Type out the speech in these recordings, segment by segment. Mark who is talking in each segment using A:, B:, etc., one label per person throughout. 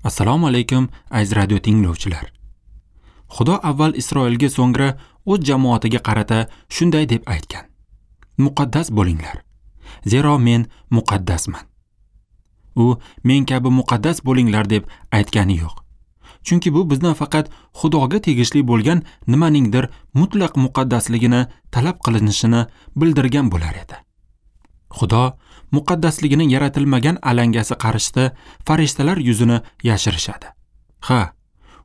A: Assalomu alaykum, aziz radio tinglovchilar. Xudo avval Isroilga, so'ngra o'z jamoatiga qarata shunday deb aytgan: Muqaddas bo'linglar, zero men muqaddasman. U men kabi muqaddas bo'linglar deb aytgani yo'q. Chunki bu bizdan faqat Xudoga tegishli bo'lgan nimaningdir mutlaq muqaddasligini talab qilinishini bildirgan bo'lar edi. Xudo muqaddasligining yaratilmagan alangasi qarshisida farishtalar yuzini yashirishadi. Ha,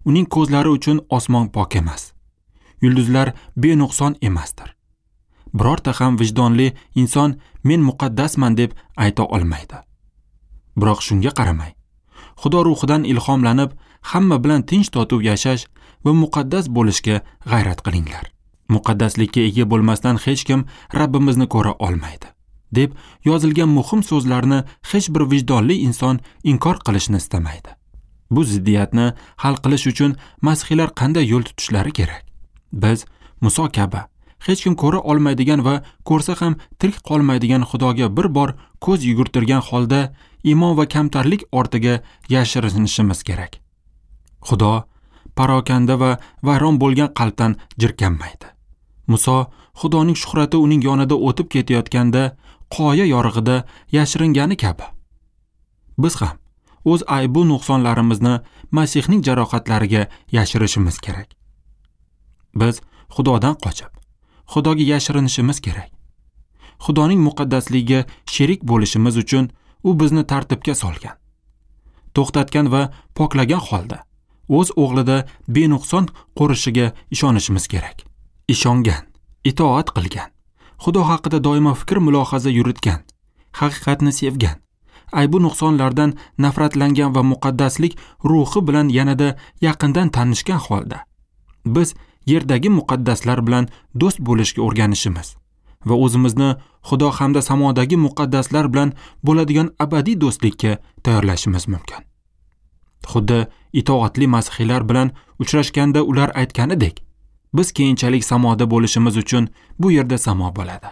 A: uning ko'zlari uchun osmon pok emas. Yulduzlar benuqson emasdir. Birorta ham vijdonli inson men muqaddasman deb ayta olmaydi. Biroq shunga qaramay, Xudo ruhidan ilhomlanib, hamma bilan tinch totuv yashash va muqaddas bo'lishga g'ayrat qilinglar. Muqaddaslikka ega bo'lmasdan hech kim Rabbimizni ko'ra olmaydi, deb yozilgan muhim so'zlarni hech bir vijdonli inson inkor qilishni istamaydi. Bu ziddiyatni hal qilish uchun masihiylar qanday yo'l tutishlari kerak? Biz Muso kabi hech kim ko'ra olmaydigan va ko'rsa ham tirik qolmaydigan Xudoga bir bor ko'z yugurtirgan holda iymon va kamtarlik ortiga yashirinishimiz kerak. Xudo parokanda va vayron bo'lgan qalbdan jirkanmaydi. Muso Xudoning shuhrati uning yonida o'tib ketayotganda qoya yorug'ida yashiringani kabi, biz ham o'z aybu nuqsonlarimizni Masihning jarohatlariga yashirishimiz kerak. Biz Xudodan qochib, Xudoga yashirinishimiz kerak. Xudoning muqaddasligiga sherik bo'lishimiz uchun u bizni tartibga solgan, to'xtatgan va poklagan holda o'z o'g'lida benuqson qo'rishiga ishonishimiz kerak. Ishongan, itoat qilgan, Xudo haqida doimo fikr mulohaza yuritgan, haqiqatni sevgan, aybu nuqsonlardan nafratlangan va muqaddaslik ruhi bilan yanada yaqindan tanishgan holda biz yerdagi muqaddaslar bilan do'st bo'lishga o'rganishimiz va o'zimizni Xudo hamda samodagi muqaddaslar bilan bo'ladigan abadiy do'stlikka tayyorlashimiz mumkin. Xuddi itoatli masihiylar bilan uchrashganda ular aytganidek, biz keyinchalik samoda bo'lishimiz uchun bu yerda samo bo'ladi.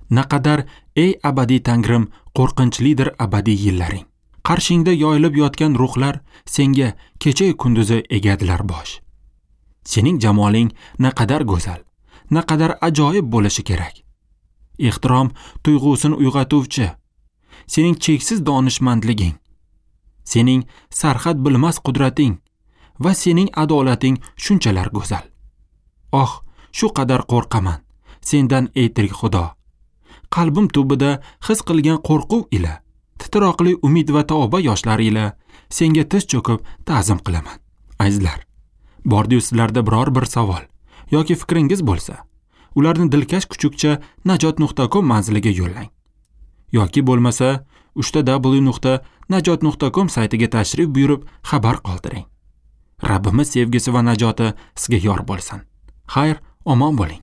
A: Naqadar ey abadiy Tangrim, qo'rqinchlidir abadiy yillaring. Qarshingda yoyilib yotgan ruhlar senga kecha kunduzi egadilar bosh. Sening jamoling naqadar go'zal, naqadar ajoyib bo'lishi kerak. Ehtirom tuyg'usini uyg'otuvchi, sening cheksiz donishmandliging, sening sarhad bilmas qudrating va sening adolating shunchalar go'zal. Oh, shu qadar qo'rqaman sendan ey tirik Xudo. Qalbim tubida his qilgan qo'rquv ila, titroqli umid va tavba yoshlari ila senga tiz cho'kib ta'zim qilaman. Azizlar, bordiyu sizlarda biror bir savol yoki fikringiz bo'lsa, ularni dilkash kuchukcha najot.com manziliga yo'llang. Yoki bo'lmasa www.najot.com saytiga tashrif buyurib xabar qoldiring. Rabbimiz sevgisi va najoti sizga yor bo'lsin. Xayr, omon bo'ling.